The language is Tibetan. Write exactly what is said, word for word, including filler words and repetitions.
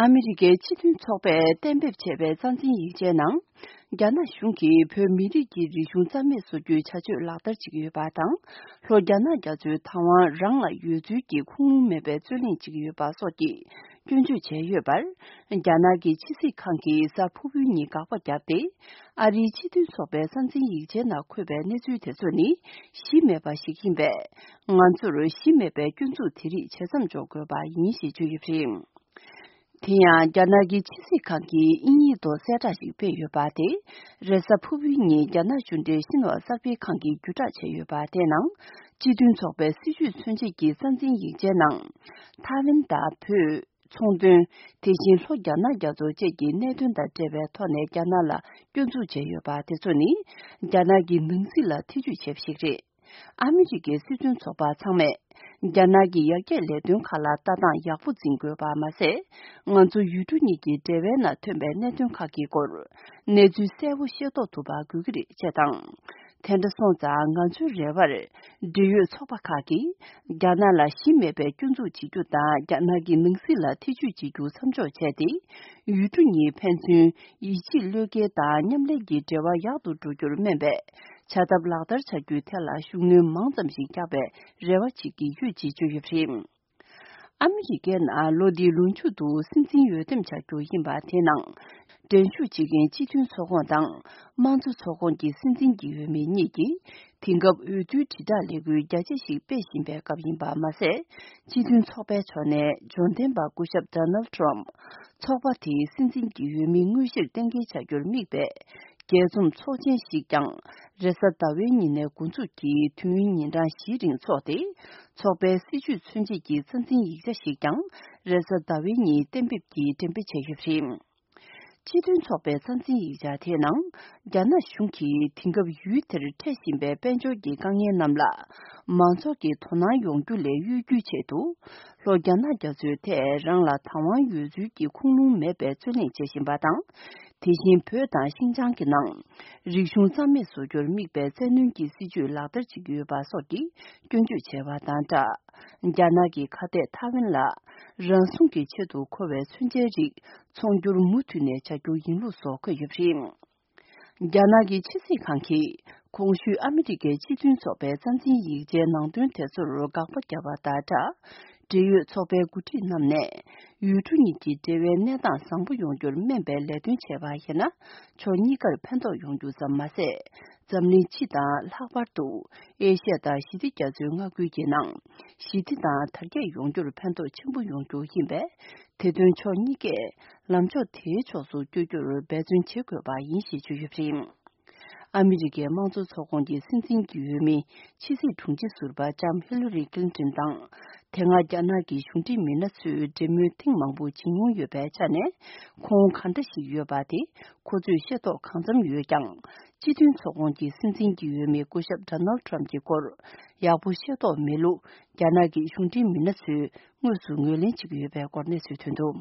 ཨ་མི་རི་ཀའི་སྤྱི་མཐུན་ཚོགས་པས་གཏན་འབེབས་བྱས་པའི་རྩ་འཛིན་ཡིག་ཆའི་ནང་། རྒྱ་ནག་གཞུང་གིས་བོད་མི་རིགས་ཀྱི་རིག་གཞུང་རྩ་མེད་བཟོ་རྒྱུའི་བྱ་སྤྱོད་ལག་བསྟར་བྱེད་ཀྱི་ཡོད་པ་དང་། ལྷོ་རྒྱ་ནག་རྒྱ་མཚོའི་བདག་དབང་རང་ལ་ཡོད་ཚུལ་གྱི་ཁུངས་ལུང་མེད་པའི་རྩོད་གླེང་བྱེད་ཀྱི་ཡོད་པ་སོགས་ཀྱི་སྐྱོན་བརྗོད་བྱས་ཡོད་པར། རྒྱ་ནག་གི་ཕྱི་སྲིད་ཁང་གིས་གཟའ་ཕུར་བུའི་ཉིན་དགག་པ་བརྒྱབ་སྟེ། ཨ་རིའི་སྤྱི་མཐུན་ཚོགས་པའི་རྩ་འཛིན་ཡིག་ཆའི་ནང་འཁོད་པའི་གནས་ཚུལ་དེ་ཚོ་ནི་གཞི་མེད་པ་ཞིག་ཡིན་པས། ང་ཚོར་གཞི་མེད་པའི་སྐྱོན་འཛུགས་དེ་རིགས་བྱེད་མཚམས་འཇོག་དགོས་པ་ཡིན་ཞེས་བརྗོད་ཡོད་པ་རེད། དེ་ཡང་རྒྱ་ནག་གི་ཕྱི་སྲིད་ཁང་གིས་དབྱིན་ཡིག་ཐོག་གསལ་བསྒྲགས་ཤིག་སྤེལ་ཡོད་པ་དེ། རེས་གཟའ་ཕུར་བུའི་ཉིན་རྒྱ་ནག་གཞུང་འབྲེལ་ཤིན་ཧྭ་གསར་སྤེལ་ཁང་གིས་བརྒྱུད་བསྒྲགས་བྱས་ཡོད་པ་དེའི་ནང་། སྤྱི་མཐུན་ཚོགས་པའི་སྲིད་བྱུས་མཚོན་བྱེད་ཀྱི་རྩ་འཛིན་ཡིག་ཆའི་ནང་། ཐའེ་ཝན་དང་བོད། ཚོང་དོན། དེ་བཞིན་ལྷོ་རྒྱ་ནག་རྒྱ་མཚོ་བཅས་ཀྱི་གནད་དོན་དང་འབྲེལ་བའི་ཐོག་ནས་རྒྱ་ནག་ལ་སྐྱོན་འཛུགས་བྱས་ཡོད་པ་དེ་ཚོ་ནི། རྒྱ་ནག་གི་ནང་སྲིད་ལ་ཐེ་ཇུས་བྱས་པ་ཞིག་རེད། ཨ་མི་རི་ཀའི་སྲིད་དོན་ཚོགས་པ་ཚང་མས། རྒྱ་ནག་གི་ཡར་རྒྱས་ལས་དོན་ཁག་ལ་ལྟ་སྟངས་ཡག་པོ་འཛིན་དགོས་པ་མ་ཟད། ང་ཚོ་ཡུལ་གྲུ་གཉིས་ཀྱི་འབྲེལ་བའི་ནང་ཐོན་པའི་གནད་དོན་ཁག་གི་སྐོར། གནས་ཚུལ་གསལ་པོ་ཤེས་རྟོགས་ཐུབ་པ་དགོས་ཀྱི་རེད་ཅེས་དང་། དེ་འདྲ་སོང་ཙང་ང་ཚོའི་རེ་བར། འབྲེལ་ཡོད་ཚོགས་པ་ཁག་གིས། རྒྱ་ནག་ལ་གཞི་མེད་པའི་སྐྱོན་འཛུགས་བྱེད་རྒྱུ་དང་། རྒྱ་ནག་གི་ནང་སྲིད་ལ་ཐེ་ཇུས་བྱེད་རྒྱུ་མཚམས་འཇོག་བྱས་ཏེ། ཡུལ་གྲུ་གཉིས་ཕན་ཚུན་ཡིད་ཆེས་བློས་འགེལ་དང་མཉམ་ལས་ཀྱི་འབྲེལ་བ་ཡག་ཏུ་འགྲོ་རྒྱུར་སྨན་པའི་བྱ་ཐབས་ལག་བསྟར་བྱ་རྒྱུའི་ཐད་ལ་ཤུགས་སྣོན་མང་ཙམ་ཞིག་རྒྱག་པའི་རེ་བ་བྱེད་ཀྱི་ཡོད་ཅེས་བརྗོད་ཡོད་པ་རེད། ཨ་མི་རི་ཀའི་ནང་ལོ་འདིའི་ལོ་མཇུག་ཏུ་སྲིད་འཛིན་འོས་འདེམས་བྱ་རྒྱུ་ཡིན་པ་དེའི་ནང་། འགྲན་ཞུགས་བྱེད་མཁན་སྤྱི་མཐུན་ཚོགས་ཁོངས་དང་། དམངས་གཙོ་ཚོགས་ཁོངས་ཀྱི་སྲིད་འཛིན་གྱི་འོས་མི་གཉིས་ཀྱིས། དེང་སྐབས་འོས་བསྡུའི་དྲིལ་བསྒྲགས་ལས་འགུལ་རྒྱ་ཆེ་ཞིག་སྤེལ་བཞིན་པའི་སྐབས་ཡིན་པ་མ་ཟད། སྤྱི་མཐུན་ཚོགས་པའི་ཕྱོགས་ནས་འབྱོར་ལྡན་པ་སྐུ་ཞབས་Donald Trump ཚོགས་པ་དེའི་སྲིད་འཛིན་གྱི་འོས་མི་དངོས་གཞིར་གཏན་འཁེལ་བྱ་རྒྱུར་དམིགས་པའི་རྒྱས་འཛོམས་ཚོགས་ཆེན་ཞིག་ཀྱང་རེས་གཟའ་ཟླ་བའི་ཉིན་ནས་འགོ་འཛུགས་ཀྱིས་དུས་ཡུན་ཉིན་གྲངས་བཞིའི་རིང་འཚོགས་ཏེ། ཚོགས་པའི་སྲིད་བྱུས་མཚོན་བྱེད་ཀྱི་རྩ་འཛིན་ཡིག་ཆ་ཞིག་ཀྱང་རེས་གཟའ་ཟླ་བའི་ཉིན་གཏན་འབེབས་ཀྱིས་འགྲེམས་སྤེལ་བྱས་ཡོད་པ་རེད། སྤྱི་མཐུན་ཚོགས་པའི་རྩ་འཛིན་ཡིག་ཆ་དེའི་ནང་། རྒྱ་ནག་གཞུང་གིས་དེང་སྐབས་ཡུལ་དེར་འཕྲད་བཞིན་པའི་དཔལ་འབྱོར་གྱི་དཀའ་ངལ་རྣམས་ལ། མང་ཚོགས་ཀྱི་དོ་སྣང་ཡོང་རྒྱུ་ལས་གཡོལ་རྒྱུའི་ཆེད་དུ། ལྷོ་རྒྱ་ནག་རྒྱ་མཚོའི་ཐད་རང་ལ་བདག་དབང་ཡོད་ཚུལ་གྱི་ཁུངས་ལུང་མེད་པའི་རྩོད་གླེང་བྱེད་བཞིན་པ་དང་། དེ་བཞིན་བོད་དང་ཤིན་ཅང་གི་ནང་། རིག་གཞུང་རྩ་མེད་བཟོ་རྒྱུར་དམིགས་པའི་བཙན་གནོན་གྱི་སྲིད་བྱུས་ལག་བསྟར་བྱེད་ཀྱི་ཡོད་པ་སོགས་ཀྱི་སྐྱོན་བརྗོད་བྱས་པ་དང་སྦྲགས། རྒྱ་ནག་གི་ཁ་གཏད་ཐའེ་ཝན་ལ་རང་སྲུང་གི་ཆེད་དུ་མཁོ་བའི་མཚོན་ཆའི་རིགས་འཚོང་རྒྱུར་མུ་མཐུད་ནས་བྱ་རྒྱུ་ཡིན་ལུགས་སོགས་འཁོད་ཡོད་པ་རེད། རྒྱ་ནག་གི་ཕྱི་སྲིད་ཁང་གིས་གོང་ཞུས་ཨ་མི་རི་ཀའི་སྤྱི་མཐུན་ཚོགས་པའི་རྩ་འཛིན་ཡིག་ཆའི་ནང་དོན་དེ་ཚོར་དགག་པ་བརྒྱབ་པ་དང་སྦྲགས། འབྲེལ་ཡོད་ཚོགས་པའི་འགོ་ཁྲིད་རྣམས་ནས་ཡུལ་གྲུ་གཉིས་ཀྱི་འབྲེལ་བའི་གནས་སྟངས་བཟང་པོ་ཡོང་རྒྱུར་སྨན་པའི་ལས་དོན་བྱས་པ་ཡིན་ན། ཕྱོགས་གཉིས་ཀར་ཕན་ཐོགས་ཡོང་རྒྱུ་ཙམ་མ་ཟད། འཛམ་གླིང་སྤྱི་དང་ལྷག་པར་དུ་ཨེ་ཤ་ཡ་དང་ཞི་བདེ་རྒྱ་མཚོའི་མངའ་ཁུལ་གྱི་ནང་ཞི་བདེ་དང་དར་རྒྱས་ཡོང་རྒྱུར་ཕན་ཐོགས་ཆེན་པོ་ཡོང་རྒྱུ་ཡིན་པས། དེ་དོན་ཕྱོགས་གཉིས་ཀས་ལམ་ཕྱོགས་དེའི་ཕྱོགས་སུ་བསྐྱོད་རྒྱུར་འབད་བརྩོན་བྱེད་དགོས་པ་ཡིན་ཞེས་བརྗོད་ཡོད་པ་རེད། ཨ་མི་རི་ཀའི་དམངས་གཙོ་ཚོགས་ཁོངས་ཀྱི་སྲིད་འཛིན་གྱི་འོས་མི་ཕྱི་སྲིད་དྲུང་ཆེ་ཟུར་པ་ལྕམ་ཧི་ལ་རི་ཀླིན་ཏོན་དང་། དེ་སྔ་རྒྱ་ནག་གི་གཞུང་འབྲེལ་མི་སྣ་ཚོས་འབྲེལ་མོལ་ཐེངས་མང་པོ་བྱེད་མྱོང་ཡོད་པའི་ཆ་ནས། ཁོང་གང་འདྲ་ཞིག་ཡོད་པ་དེ་ཁོ་ཚོས་ཤེས་རྟོགས་གང་འཚམ་ཡོད་ཀྱང་། སྤྱི་མཐུན་ཚོགས་ཁོངས་ཀྱི་སྲིད་འཛིན་གྱི་འོས་མི་སྐུ་ཞབས་Donald Trump གྱི་སྐོར་ཡག་པོ་ཤེས་རྟོགས་མེད་ལུགས། རྒྱ་ནག་གི་གཞུང་འབྲེལ་མི་སྣ་ཚོས་དངོས་སུ་ངོས་ལེན་བྱེད་ཀྱི་ཡོད་པའི་སྐོར་གནས་ཚུལ་ཐོན་འདུག